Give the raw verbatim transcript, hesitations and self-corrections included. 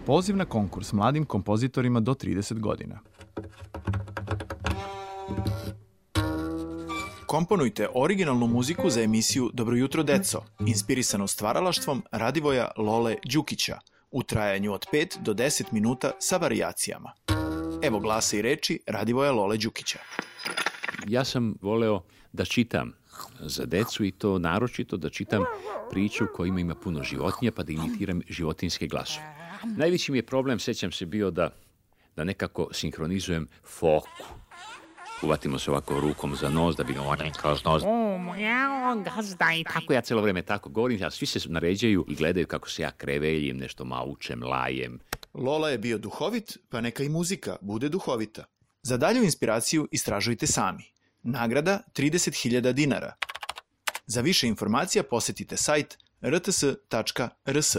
Poziv na konkurs mladim kompozitorima do trideset godina. Komponujte originalnu muziku za emisiju Dobro jutro deco, inspirisanu stvaralaštvom Radivoja Lole Đukića, u trajanju od pet do deset minuta sa varijacijama. Evo glasa i reči Radivoja Lole Đukića. Ja sam voleo da čitam za decu i to naročito da čitam priču kojima ima puno životinja pa da imitiram životinjske glasove. Najveći mi je problem, sećam se, bio da, da nekako sinhronizujem foku. Uvatimo se ovako rukom za nos da bi on kroz nos. Tako ja celo vreme tako govorim, a svi se naređaju i gledaju kako se ja kreveljim, nešto maučem, lajem. Lola je bio duhovit, pa neka i muzika bude duhovita. Za dalju inspiraciju istražujte sami. Nagrada trideset hiljada dinara. Za više informacija posetite sajt r t s tačka r s.